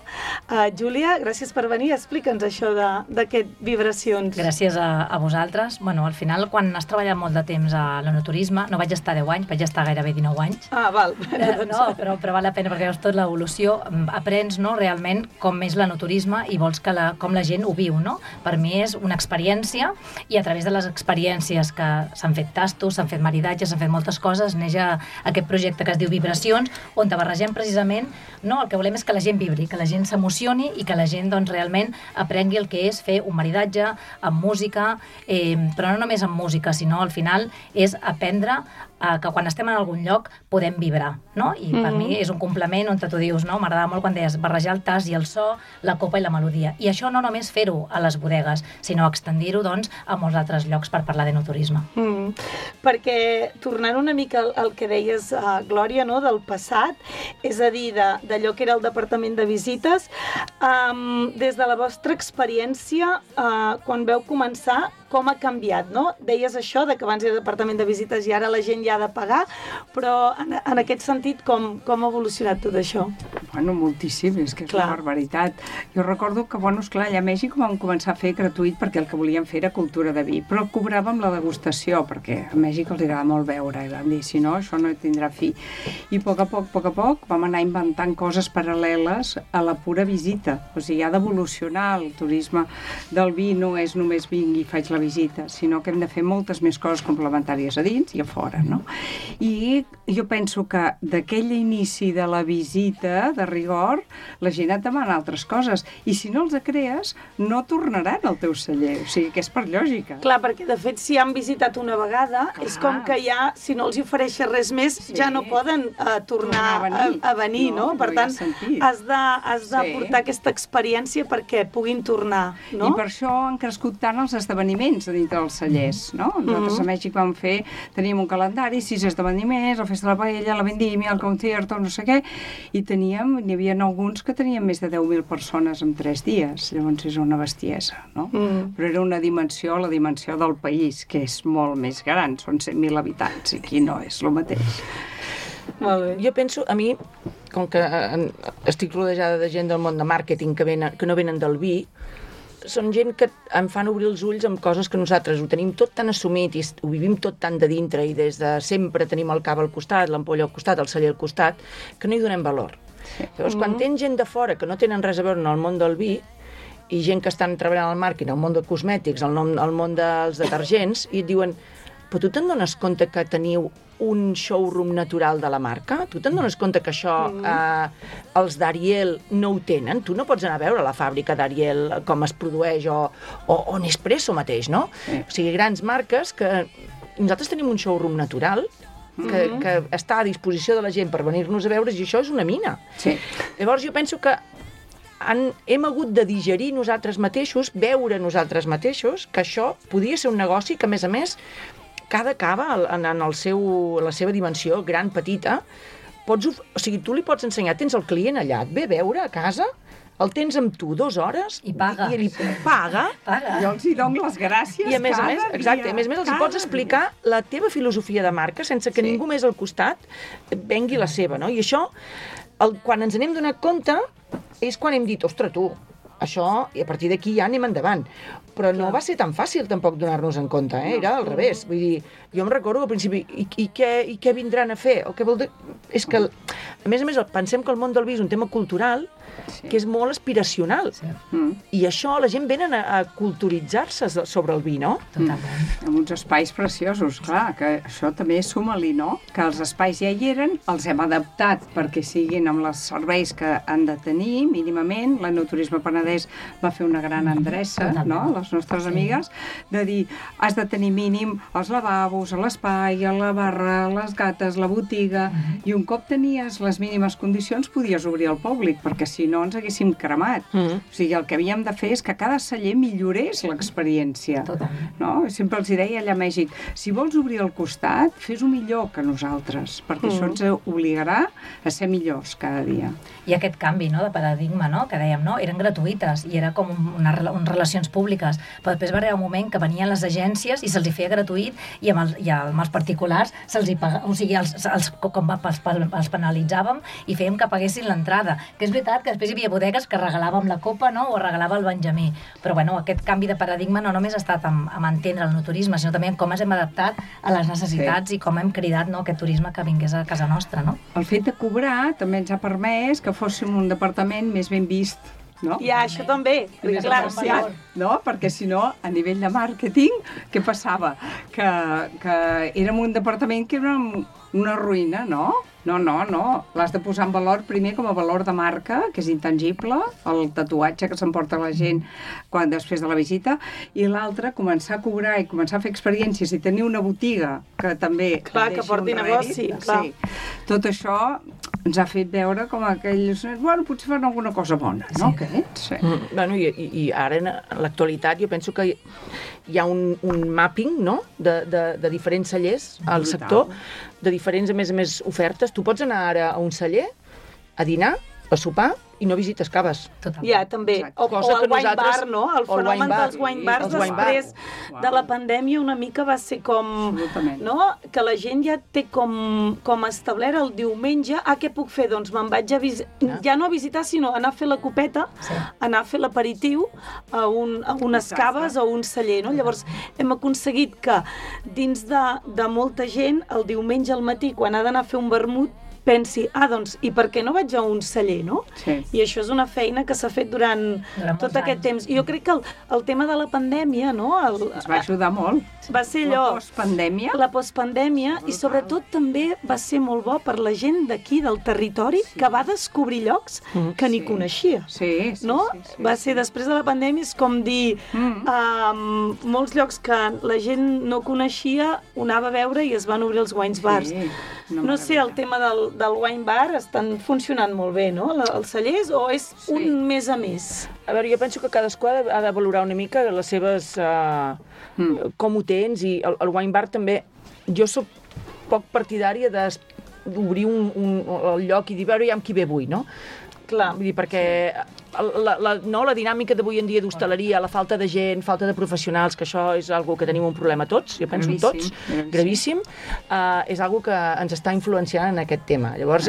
Júlia, gràcies per venir, explica'ns això d'aquest Vibracions. Gràcies a vosaltres. Bueno, al final, quan has treballat molt de temps a l'enoturisme, no vaig estar 10 anys, vaig estar gairebé 19 anys. Val. No, però val la pena, perquè veus tot l'evolució, aprens, no, realment com és l'enoturisme i vols com la gent ho viu, no? Per mi és una experiència, i a través de les experiències que s'han fet tastos, s'han fet maridatges, s'han fet moltes coses, neix aquest projecte que es diu Vibracions, on barregem precisament, no, el que volem és que la gent vibri, que la gent s'emocioni i que la gent realment aprengui el que és fer un maridatge amb música, però no només amb música, sinó al final és aprendre que quan estem en algun lloc podem vibrar, no? I per mi és un complement on tu dius, no? M'agradava molt quan deies barrejar el tas i el so, la copa i la melodia. I això no només fer-ho a les bodegues, sinó extendir-ho, a molts altres llocs per parlar d'enoturisme. Perquè, tornant una mica al que deies, Glòria, no? Del passat, és a dir, d'allò que era el Departament de Visites, des de la vostra experiència, quan veu començar, com ha canviat, no? Deies això, que abans era Departament de Visites i ara la gent ja ha de pagar, però en aquest sentit, com ha evolucionat tot això? Bueno, moltíssim, és que és una barbaritat. Jo recordo que, esclar, allà a Mèxic vam començar a fer gratuït perquè el que volíem fer era cultura de vi, però cobràvem la degustació, perquè a Mèxic els agrada molt beure, i vam dir, si no, això no tindrà fi. I a poc a poc vam anar inventant coses paral·leles a la pura visita. O sigui, ha d'evolucionar el turisme del vi, no és només vinc i faig la visita, sinó que hem de fer moltes més coses complementàries a dins i a fora, no? I jo penso que d'aquell inici de la visita, de rigor, la gent et demana altres coses, i si no els crees, no tornaran al teu celler, o sigui que és per lògica. Clar, perquè de fet, si han visitat una vegada, és com que ja, si no els ofereixes res més, ja no poden tornar a venir, no? Per tant, has de portar aquesta experiència perquè puguin tornar, no? I per això han crescut tant els esdeveniments a dintre dels cellers, no? Nosaltres a Mèxic teníem un calendari, 6 esdeveniments, la festa de la paella, la vendimia, el concierto, no sé què, i n'hi havia alguns que tenien més de 10.000 persones en 3 dies, llavors és una bestiesa, no? Però era una dimensió, la dimensió del país, que és molt més gran, són 100.000 habitants, i aquí no és el mateix. Jo penso, a mi, com que estic rodejada de gent del món de màrqueting que no venen del vi, són gent que em fan obrir els ulls amb coses que nosaltres ho tenim tot tan assumit i ho vivim tot tan de dintre i des de sempre tenim el cava al costat, l'ampolla al costat, el celler al costat, que no hi donem valor. Llavors, quan tens gent de fora que no tenen res a veure en el món del vi i gent que estan treballant al màrqueting, al món dels cosmètics, al món dels detergents, i et diuen, però tu te'n dones compte que teniu un showroom natural de la marca? Tu te'n dones compte que això els d'Ariel no ho tenen? Tu no pots anar a veure la fàbrica d'Ariel com es produeix o Nespresso mateix, no? O sigui, grans marques que nosaltres tenim un showroom natural que està a disposició de la gent per venir-nos a veure i això és una mina. Sí. Llavors jo penso que hem hagut de digerir nosaltres mateixos, veure nosaltres mateixos, que això podia ser un negoci que, a més, cada cava, en la seva dimensió, gran, petita, o sigui, tu li pots ensenyar, tens el client allà, et ve a veure a casa, el tens amb tu 2 hores i paga. I ell paga. Jo els hi dono les gràcies I a més, exacte, a més els hi pots explicar la teva filosofia de marca sense que ningú més al costat vengui la seva, no? I això, quan ens n'hem donat compte, és quan hem dit, ostres, tu, això, i a partir d'aquí ja anem endavant. Però no va ser tan fàcil tampoc donar-nos en compte, era al revés. Vull dir, jo em recordo al principi, i què vindran a fer? O què vol dir? És que, a més, pensem que el món del vi és un tema cultural que és molt aspiracional. I això, la gent venen a culturitzar-se sobre el vi, no? Totalment. Amb uns espais preciosos, clar, que això també suma-li, no? Que els espais ja hi eren, els hem adaptat perquè siguin amb els serveis que han de tenir, mínimament. L'Enoturisme Penedès va fer una gran endreça, no?, les nostres amigues, de dir, has de tenir mínim els lavabos, l'espai, la barra, les gates, la botiga, i un cop tenies les mínimes condicions podies obrir al públic, perquè si no ens haguéssim cremat. O sigui, el que havíem de fer és que cada celler millorés l'experiència. No? Sempre els deia allà a Mèxic, si vols obrir al costat, fes-ho millor que nosaltres, perquè això ens obligarà a ser millors cada dia. I aquest canvi, no?, de paradigma, no?, que dèiem, no?, eren gratuïtes i era com unes relacions públiques, però després va arribar un moment que venien les agències i se'ls hi feia gratuït i amb els particulars se'ls hi pagava, o sigui, els penalitzàvem i fèiem que paguessin l'entrada, que és veritat que després hi havia bodegues que regalàvem la copa, no?, o regalava el Benjamí, però bueno, aquest canvi de paradigma no només ha estat amb entendre el no turisme, sinó també en com ens hem adaptat a les necessitats i com hem cridat, no?, aquest turisme que vingués a casa nostra, no? El fet de cobrar també ens ha permès que fóssim un departament més ben vist, no? Ja, això també. Clar, no? Perquè si no, a nivell de màrqueting, què passava? Que érem un departament que era una ruïna, no? No. L'has de posar en valor primer com a valor de marca, que és intangible, el tatuatge que s'emporta la gent després de la visita, i l'altre, començar a cobrar i començar a fer experiències i tenir una botiga que també... Clar, que porti negoci, clar. Sí. Tot això ens ha fet veure com aquells... Bueno, potser fan alguna cosa bona, no? Sí. Bueno, i ara, en l'actualitat, jo penso que hi ha un mapping, no?, de diferents cellers al sector, de diferents, a més, ofertes. Tu pots anar ara a un celler, a dinar, a sopar, i no visites caves. Ja, també. O el wine bar, no? El fenomen dels wine bars després de la pandèmia una mica va ser com... No? Que la gent ja té com establert el diumenge, què puc fer? Doncs me'n vaig a visitar, ja no a visitar, sinó anar a fer la copeta, anar a fer l'aperitiu a unes caves o un celler, no? Llavors hem aconseguit que dins de molta gent, el diumenge al matí, quan ha d'anar a fer un vermut, pensi, doncs, i per què no vaig a un celler, no? Sí. I això és una feina que s'ha fet durant tot aquest temps. I jo crec que el tema de la pandèmia, no? Ens va ajudar molt. Va ser allò... La postpandèmia. La postpandèmia, i sobretot també va ser molt bo per la gent d'aquí, del territori, que va descobrir llocs que ni coneixia. Sí. No? Va ser després de la pandèmia, és com dir, molts llocs que la gent no coneixia, ho anava a veure i es van obrir els wine bars. No sé, el tema del wine bar estan funcionant molt bé, no? Els cellers, o és un més a més? A veure, jo penso que cadascú ha de valorar una mica les seves... com ho tens, i el wine bar també... Jo soc poc partidària d'obrir el lloc i dir, veure, ja amb qui ve avui, no? Clar. Vull dir, perquè la dinàmica d'avui en dia d'hostaleria, la falta de gent, falta de professionals, que això és algo que tenim un problema tots, jo penso tots, gravíssim, és algo que ens està influenciant en aquest tema. Llavors,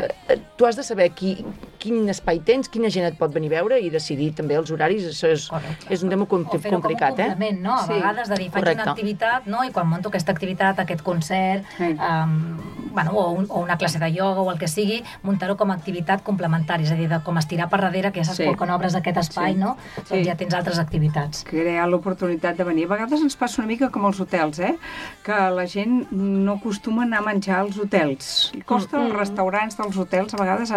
tu has de saber qui quin espai tens, quina gent et pot venir a veure i decidir també els horaris. Això és un tema complicat, com un complement, no? A vegades de dir, faig una activitat, no? I quan monto aquesta activitat, aquest concert, o una classe de ioga o el que sigui, muntar-ho com a activitat complementària, és a dir, com estirar per darrere, que ja saps quan obres aquest espai, no? Doncs ja tens altres activitats. Crear l'oportunitat de venir. A vegades ens passa una mica com els hotels, que la gent no acostuma a anar a menjar als hotels. Costa als restaurants dels hotels, a vegades,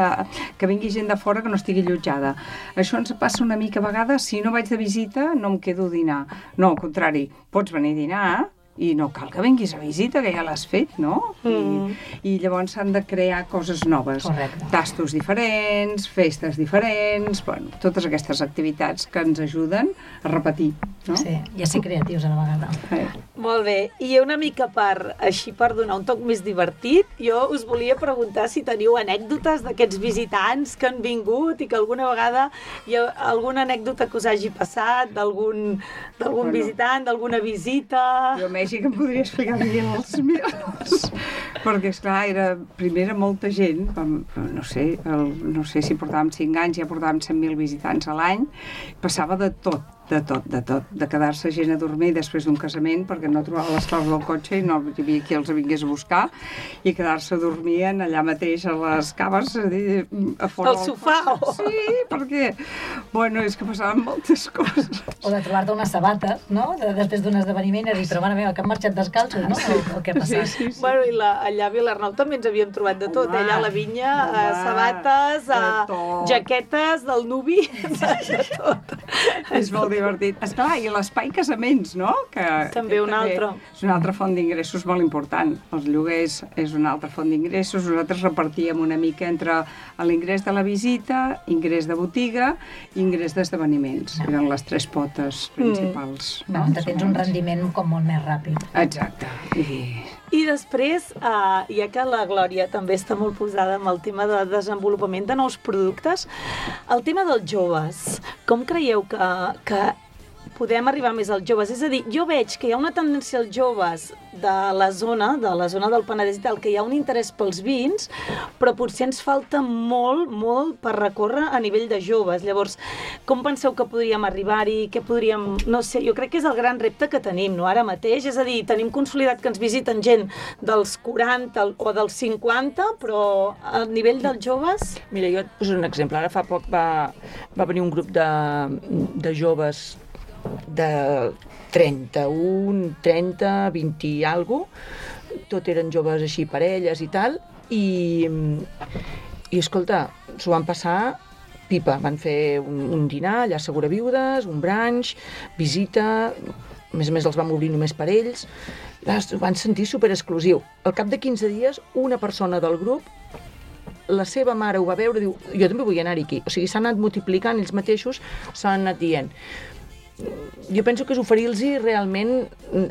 que vingui gent de fora que no estigui allotjada. Això ens passa una mica a vegades, si no vaig de visita, no em quedo a dinar. No, al contrari, pots venir a dinar, i no cal que vinguis a visita, que ja l'has fet, no? I llavors s'han de crear coses noves. Correcte. Tastos diferents, festes diferents, bueno, totes aquestes activitats que ens ajuden a repetir, no? Sí, i a ser creatius a la vegada. Molt bé, i una mica per donar un toc més divertit, jo us volia preguntar si teniu anècdotes d'aquests visitants que han vingut i que alguna vegada hi ha alguna anècdota que us hagi passat, d'algun visitant, d'alguna visita... Jo Mèxic em podria explicar els meus, perquè esclar, primer era molta gent, no sé si portàvem 5 anys, ja portàvem 100.000 visitants a l'any, passava de tot, de quedar-se gent a dormir després d'un casament perquè no trobava les claus del cotxe i no hi havia qui els vingués a buscar, i quedar-se dormint allà mateix a les caves, a fora al sofà. Sí, perquè és que passaven moltes coses. O de trobar-te unes sabates, no? Després d'un esdeveniment i dir, però mare meva, que han marxat descalços, no? O què ha passat? Sí. Bueno, i allà a Vilarnau també ens havíem trobat de tot, allà a la vinya, sabates, jaquetes del nuvi, de tot. És molt divertit. Esclar, i l'espai casaments, no? També un altre. És una altra font d'ingressos molt important. Els lloguers és una altra font d'ingressos. Nosaltres repartíem una mica entre l'ingrés de la visita, ingrés de botiga i ingrés d'esdeveniments. Eren les 3 potes principals. Tens un rendiment com molt més ràpid. Exacte. I després, ja que la Glòria també està molt posada amb el tema de desenvolupament de nous productes, el tema dels joves, com creieu que podem arribar més als joves? És a dir, jo veig que hi ha una tendència als joves de la zona del Penedès i tal, que hi ha un interès pels vins, però potser ens falta molt, molt per recórrer a nivell de joves. Llavors, com penseu que podríem arribar-hi? Què podríem... No sé, jo crec que és el gran repte que tenim, no? Ara mateix, és a dir, tenim consolidat que ens visiten gent dels 40 o dels 50, però a nivell dels joves... Mira, jo et poso un exemple. Ara fa poc va venir un grup de joves de 31, 30, 20 i alguna cosa, tot eren joves així, parelles i tal, i escolta, s'ho van passar pipa, van fer un dinar allà a Segura Viudes, un brunch, visita, a més els vam obrir només per ells, ho van sentir superexclusiu. Al cap de 15 dies, una persona del grup, la seva mare ho va veure i diu, jo també vull anar-hi aquí. O sigui, s'han anat multiplicant ells mateixos, s'han anat dient. Jo penso que és oferir-los realment,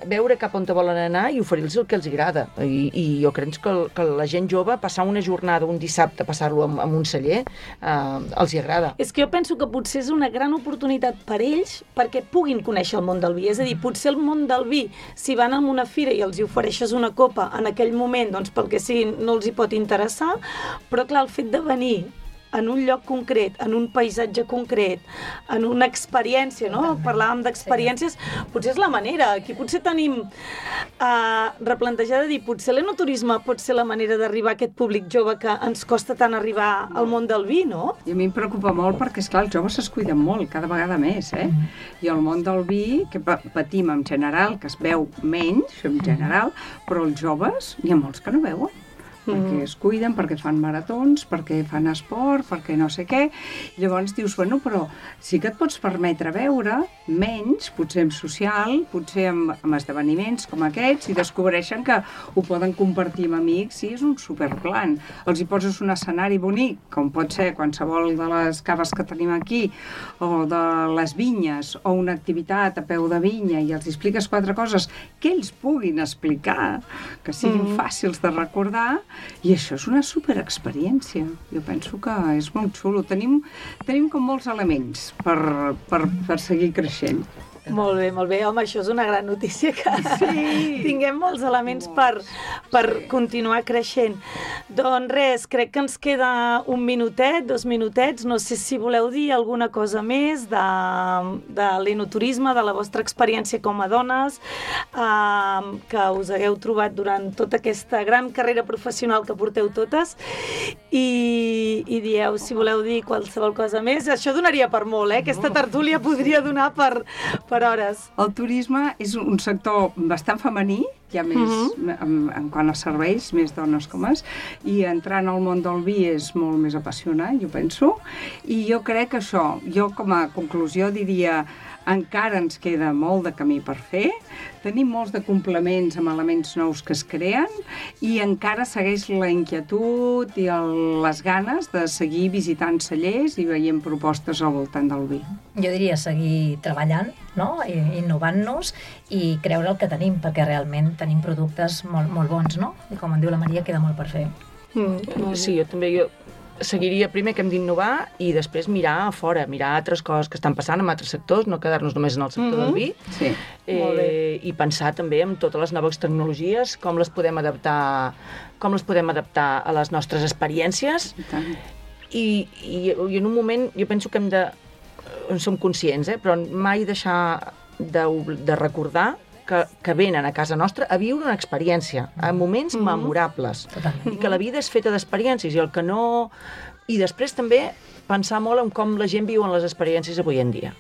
veure cap on volen anar i oferir-los el que els agrada. I jo crec que la gent jove, passar una jornada, un dissabte, passar-lo en un celler, els hi agrada. És que jo penso que potser és una gran oportunitat per ells perquè puguin conèixer el món del vi. És a dir, potser el món del vi, si van a una fira i els hi ofereixes una copa en aquell moment, doncs pel que sigui, no els hi pot interessar, però clar, el fet de venir en un lloc concret, en un paisatge concret, en una experiència, no? Parlàvem d'experiències, potser és la manera. Aquí potser tenim replantejada de dir, potser l'enoturisme pot ser la manera d'arribar a aquest públic jove que ens costa tant arribar al món del vi, no? I a mi em preocupa molt perquè, esclar, els joves es cuiden molt, cada vegada més, I el món del vi, que patim en general, que es veu menys, en general, però els joves, n'hi ha molts que no veuen. Perquè es cuiden, perquè fan maratons, perquè fan esport, perquè no sé què. I llavors dius, bueno, però sí que et pots permetre veure menys, potser en social, potser amb esdeveniments com aquests, i descobreixen que ho poden compartir amb amics i és un superplan. Els hi poses un escenari bonic, com pot ser qualsevol de les caves que tenim aquí, o de les vinyes, o una activitat a peu de vinya, i els expliques 4 coses que ells puguin explicar, que siguin fàcils de recordar. I això és una superexperiència. Jo penso que és molt xulo. Tenim com molts elements per seguir creixent. Molt bé, molt bé. Home, això és una gran notícia, que tinguem molts elements per continuar creixent. Doncs res, crec que ens queda 1 minutet, 2 minutets. No sé si voleu dir alguna cosa més de l'enoturisme, de la vostra experiència com a dones, que us hagueu trobat durant tota aquesta gran carrera professional que porteu totes, i dieu, si voleu dir qualsevol cosa més. Això donaria per molt, Aquesta tertúlia podria donar per hores. El turisme és un sector bastant femení, hi ha més, en quant a serveis, més dones com és, i entrar en el món del vi és molt més apassionant, jo penso, i jo crec que això, jo com a conclusió diria, encara ens queda molt de camí per fer, tenim molts de complements amb elements nous que es creen i encara segueix la inquietud i les ganes de seguir visitant cellers i veient propostes al voltant del vi. Jo diria seguir treballant, no? Innovant-nos i creure el que tenim, perquè realment tenim productes molt, molt bons, no? I com en diu la Maria, queda molt per fer. Sí, jo també seguiria primer que hem d'innovar i després mirar a fora, mirar altres coses que estan passant en altres sectors, no quedar-nos només en el sector del vi, i pensar també en totes les noves tecnologies, com les podem adaptar a les nostres experiències. I en un moment jo penso que en som conscients, però mai deixar de recordar que venen a casa nostra a viure una experiència, a moments memorables. I que la vida és feta d'experiències i el que no... I després també pensar molt en com la gent viu en les experiències avui en dia.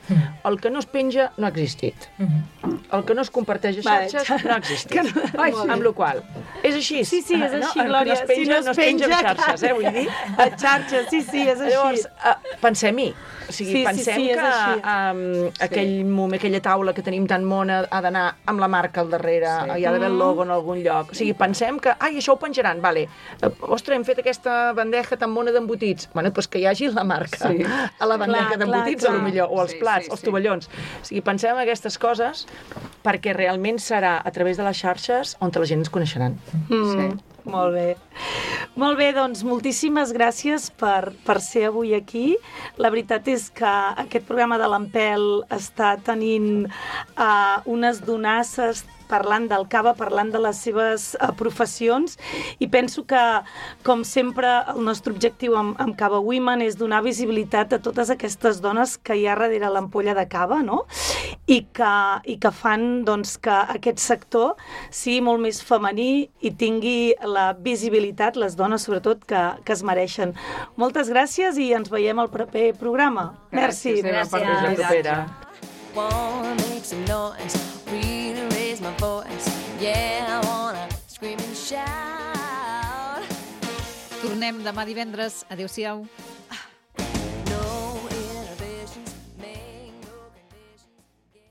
El que no es penja no ha existit. El que no es comparteix a xarxes no ha existit. Amb la qual és així. Sí, és així, Glòria. Si no es penja a xarxes, vull dir. A xarxes, sí, és així. Llavors, pensem-hi. O sigui, pensem que aquella taula que tenim tan mona ha d'anar amb la marca al darrere, hi ha d'haver el logo en algun lloc. O sigui, pensem que, això ho penjaran, vale. Ostres, hem fet aquesta bandeja tan mona d'embotits. Bueno, doncs que hi hagi la marca a la bandeja d'embotits, potser, o els plats, els tovallons. O sigui, pensem en aquestes coses perquè realment serà a través de les xarxes on la gent ens coneixeran. Molt bé. Molt bé, doncs moltíssimes gràcies per ser avui aquí. La veritat és que aquest programa de l'Empel està tenint unes donasses parlant del cava, parlant de les seves professions, i penso que, com sempre, el nostre objectiu amb Cava Women és donar visibilitat a totes aquestes dones que hi ha darrere l'ampolla de cava, no? I que fan doncs, que aquest sector sigui molt més femení i tingui la visibilitat, les dones sobretot, que es mereixen. Moltes gràcies i ens veiem al proper programa. Merci. Gràcies. My voice, yeah, I wanna scream and shout. Tornem demà divendres. Adéu-siau.